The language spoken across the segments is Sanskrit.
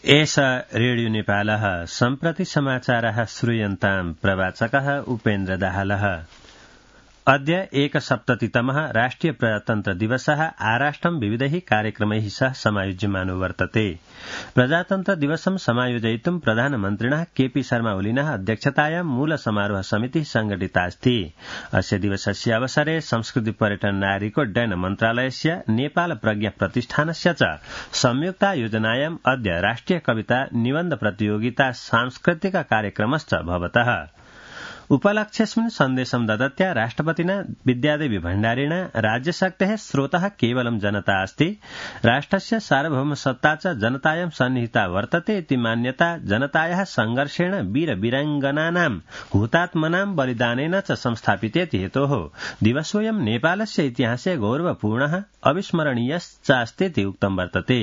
एष रेडियो नेपालः सम्प्रति समाचारः श्रूयन्ताम् प्रवाचकः उपेन्द्र दाहालः। अद्य 1सप्ततितमः राष्ट्रिय प्रजातन्त्र दिवसः आराष्ट्रं विविधैः कार्यक्रमैः सह समायोज्यमानो वर्तते। प्रजातन्त्र दिवसं समायोजयितुं प्रधानमन्त्रिणः केपी शर्मा ओलिनः अध्यक्षतायां मूल समारोह समितिः संघटितास्ति। अस्य दिवसस्य अवसरे संस्कृति पर्यटन नागरिकोड्डयन मन्त्रालयस्य नेपाल प्रज्ञा प्रतिष्ठानस्य च संयुक्तायोजनायाम् अद्य राष्ट्रिय कविता निबन्ध प्रतियोगिता सांस्कृतिक कार्यक्रमश्च भवतः। उपलक्ष्यस्मिन् सन्देशं ददत्या राष्ट्रपतिना विद्यादेवी भण्डारिणा राज्यशक्तेः स्रोतः केवलं जनता अस्ति, राष्ट्रस्य सार्वभौमसत्ता च जनतायां सन्निहिता वर्तते इति मान्यता जनतायाः संघर्षेण वीरवीराङ्गनानां हुतात्मनां बलिदानेन च संस्थापितेति हेतोः दिवसोऽयं नेपालस्य इतिहासे गौरवपूर्णः अविस्मरणीयश्चास्तीति उक्तं वर्तते।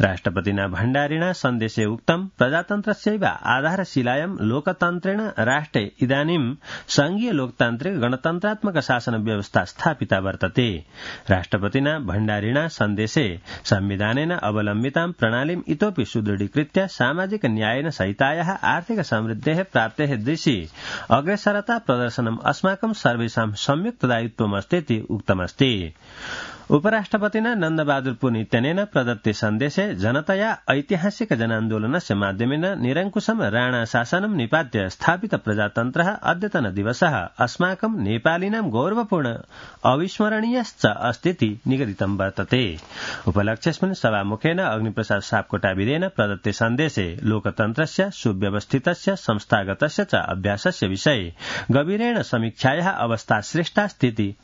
राष्ट्रपतिना भण्डारिणा सन्देशे उक्तं प्रजातन्त्रस्यैव आधारशिलायां लोकतन्त्रेण राष्ट्रे इदानीं संघीय लोकतान्त्रिक गणतन्त्रात्मक शासन व्यवस्था स्थापिता वर्तते। राष्ट्रपतिना भण्डारिणा सन्देशे संविधानेन अवलम्बितां प्रणालीम् इतोपि सुदृढीकृत्य सामाजिक न्यायेन सहितायाः आर्थिक समृद्धेः प्राप्तेः दिशि अग्रेसरता प्रदर्शनम् अस्माकं सर्वेषां संयुक्त दायित्वमस्तीति उक्तमस्ति। उपराष्ट्रपतिना नन्दबहादुर पुनित्यनेन प्रदत्ते सन्देशे जनतया ऐतिहासिक जनान्दोलनस्य माध्यमेन निरङ्कुशं राणा शासनं निपात्य स्थापित प्रजातन्त्रः अद्यतन दिवसः अस्माकं नेपालिनां गौरवपूर्ण अविस्मरणीयश्च अस्तीति निगदितं वर्तते। उपलक्ष्यस्मिन् सभामुखेन अग्निप्रसाद सापकोटाविदेन प्रदत्ते सन्देशे लोकतन्त्रस्य सुव्यवस्थितस्य संस्थागतस्य च अभ्यासस्य विषये गभीरेण समीक्षायाः अवस्था श्रेष्ठास्तीति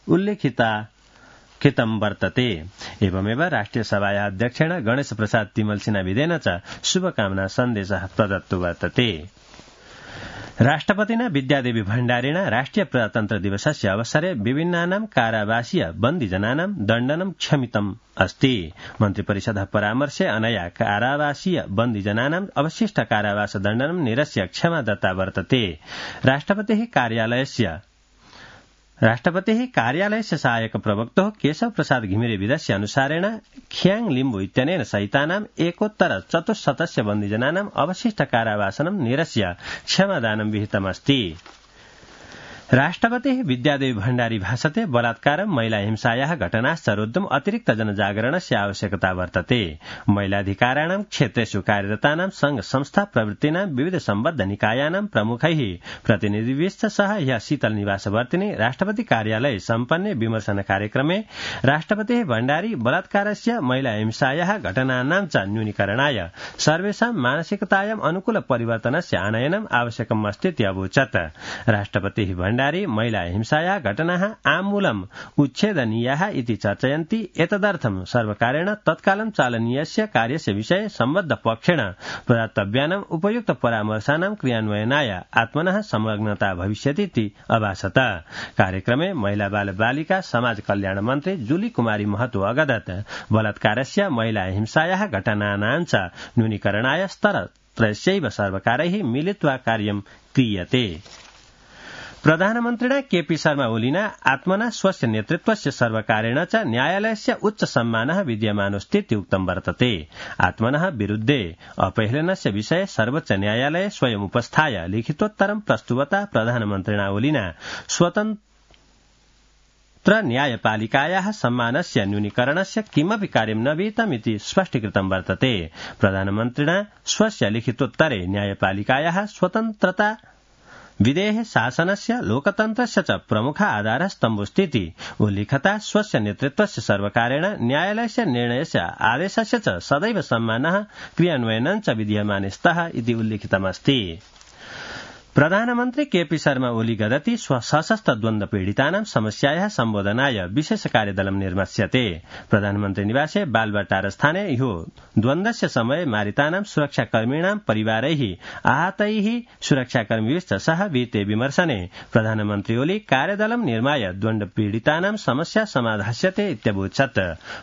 उल्लिखितं वर्तते। एवमेव राष्ट्रिय सभायाः अध्यक्षेण गणेश प्रसाद तिमल सिन्हाविदेन च शुभकामना सन्देशः प्रदत्तो वर्तते। राष्ट्रपतिना विद्यादेवी भण्डारिणा राष्ट्रिय प्रजातन्त्र दिवसस्य अवसरे विभिन्नानां कारावासीय बन्दिजनानां दण्डनं क्षमितम् अस्ति। मन्त्रिपरिषदः परामर्शे अनया कारावासीय बन्दिजनानां अवशिष्ट कारावास दण्डनं निरस्य क्षमा दत्ता वर्तते। राष्ट्रपतिः कार्यालयस्य सहायक प्रवक्तः केशव प्रसाद घिमिरेविदस्य अनुसारेण खियाङ लिम्बु इत्यनेन सहितानां एकोत्तर 400 बन्दिजनानाम् अवशिष्ट कारावासनं निरस्य क्षमादानं विहितमस्ति। राष्ट्रपतिः विद्यादेवी भण्डारी भाषते बलात्कारं महिला हिंसायाः घटनाश्च रोद्धुम् अतिरिक्त जनजागरणस्य आवश्यकता वर्तते। महिलाधिकाराणां क्षेत्रेषु कार्यरतानां संघ संस्था प्रवृत्तीनां विविध सम्बद्ध निकायानां प्रमुखैः प्रतिनिधिभिश्च सह ह्यः शीतल निवासवर्तिनि राष्ट्रपति कार्यालये सम्पन्ने विमर्शन कार्यक्रमे राष्ट्रपतिः भण्डारी बलात्कारस्य महिला हिंसायाः घटनानां च न्यूनीकरणाय सर्वेषां मानसिकतायाम् अनुकूल परिवर्तनस्य आनयनम् आवश्यकम् अस्तीति अवोचत्। राष्ट्रपतिः भण्डारी महिला हिंसायाः घटनाः आमूलम् उच्छेदनीयाः इति चर्चयन्ति। एतदर्थं सर्वकारेण तत्कालं चालनीयस्य कार्यस्य विषये सम्बद्ध पक्षेण प्रदातव्यानाम् उपयुक्त परामर्शानां क्रियान्वयनाय आत्मनः संलग्नता भविष्यतीति अभासत। कार्यक्रमे महिला बाल बालिका समाज कल्याण मन्त्री जुली कुमारी महतो अगदत् बलात्कारस्य महिला हिंसायाः घटनानां च न्यूनीकरणाय स्तरत्रयस्यैव सर्वकारैः मिलित्वा कार्यं क्रियते। प्रधानमन्त्रिणा केपी शर्मा ओलिना आत्मना स्वस्य नेतृत्वस्य सर्वकारेण च न्यायालयस्य उच्च सम्मानः विद्यमानोऽस्तीति उक्तं वर्तते। आत्मनः विरुद्धे अपहेलनस्य विषये सर्वोच्च न्यायालये स्वयम् उपस्थाय लिखितोत्तरं प्रस्तुवता प्रधानमन्त्रिणा ओलिना स्वतन्त्र न्यायपालिकायाः सम्मानस्य न्यूनीकरणस्य किमपि कार्यं न विहितमिति स्पष्टीकृतं वर्तते। प्रधानमन्त्रिणा स्वस्य लिखितोत्तरे न्यायपालिकायाः स्वतन्त्रता विधेः शासनस्य लोकतन्त्रस्य च प्रमुख आधारस्तम्भोऽस्तीति उल्लिखता स्वस्य नेतृत्वस्य सर्वकारेण न्यायालयस्य निर्णयस्य आदेशस्य च सदैव सम्मानः क्रियान्वयनं च विधीयमाने स्तः इति उल्लिखितमस्ति। प्रधानमन्त्री केपी शर्मा ओली गदति सशस्त्र द्वन्द्व पीडितानां समस्यायाः सम्बोधनाय विशेष कार्यदलं निर्मास्यते। प्रधानमन्त्री निवासे बालबटार स्थाने ह्यो द्वन्द्वस्य समये मारितानां सुरक्षाकर्मिणां परिवारैः आहतैः सुरक्षाकर्मिभिश्च सह विहिते विमर्शने प्रधानमन्त्री ओली कार्यदलं निर्माय द्वन्द्व पीडितानां समस्या समाधास्यते इत्यवोचत्।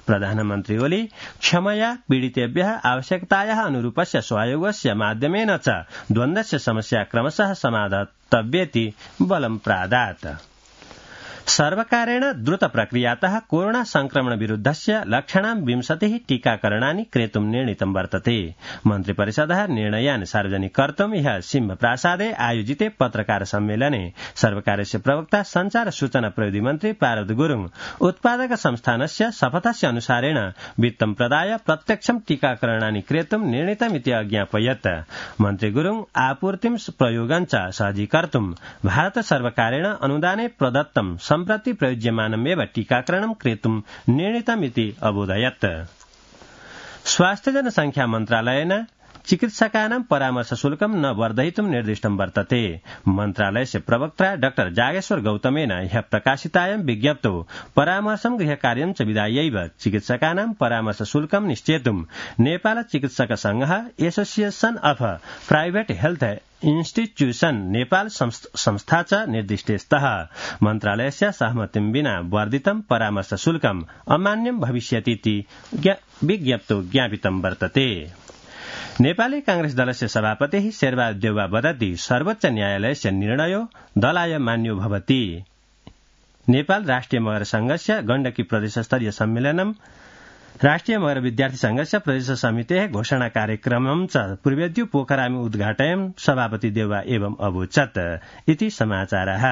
प्रधानमन्त्री ओली क्षमया पीडितेभ्यः आवश्यकतायाः अनुरूपस्य सहयोगस्य माध्यमेन च द्वन्द्वस्य समस्या क्रमशः समाधातव्येति बलं प्रादात्। सर्वकारेण द्रुत प्रक्रियातः कोरोना संक्रमण विरुद्धस्य लक्षणां 20 टीकाकरणानि क्रेतुं निर्णीतं वर्तते। मन्त्रिपरिषदः निर्णयान् सार्वजनिकर्तुं ह्यः सिंहप्रासादे आयोजिते पत्रकार सम्मेलने सर्वकारस्य प्रवक्ता संचार सूचना प्रविधि मन्त्री पार्वत गुरुङ उत्पादक संस्थानस्य शपथस्य अनुसारेण वित्तं प्रदाय प्रत्यक्षं टीकाकरणानि क्रेतुं निर्णीतमिति अज्ञापयत्। मन्त्री गुरुङ आपूर्तिं प्रयोगञ्च सहजीकर्तुं भारत सर्वकारेण अनुदाने प्रदत्तं सम्प्रति प्रयुज्यमानमेव टीकाकरणं क्रेतुं निर्णीतमिति अबोधयत्। स्वास्थ्य जनसंख्या मन्त्रालयेन चिकित्सकानां परामर्श शुल्कं न वर्धयितुं निर्दिष्टं वर्तते। मन्त्रालयस्य प्रवक्ता डाक्टर जागेश्वर गौतमेन ह्यः प्रकाशितायां विज्ञप्तौ परामर्शं गृहकार्यं च विधायैव चिकित्सकानां परामर्श शुल्कं निश्चेतुं नेपाल चिकित्सक संघः एसोसिएशन अफ प्राइवेट हेल्थ इन्स्टिट्यूशन नेपाल संस्था च निर्दिष्टे स्तः। मन्त्रालयस्य सहमतिं विना वर्धितं परामर्श शुल्कम् अमान्यं भविष्यतीति विज्ञप्तौ ज्ञापितं वर्तते। नेपाली कांग्रेस दलस्य सभापतिः शेरबहादुर देउवा वदति सर्वोच्च न्यायालयस्य निर्णयो दलाय मान्यो भवति। नेपाल राष्ट्रिय मगर संघस्य गण्डकी प्रदेशस्तरीय सम्मेलनं राष्ट्रिय मगर विद्यार्थी संघस्य प्रदेश समितेः घोषणा कार्यक्रमं च पूर्वेद्यु पोखरामि उद्घाटयन् सभापति देउवा एवं अवोचत् इति समाचारः।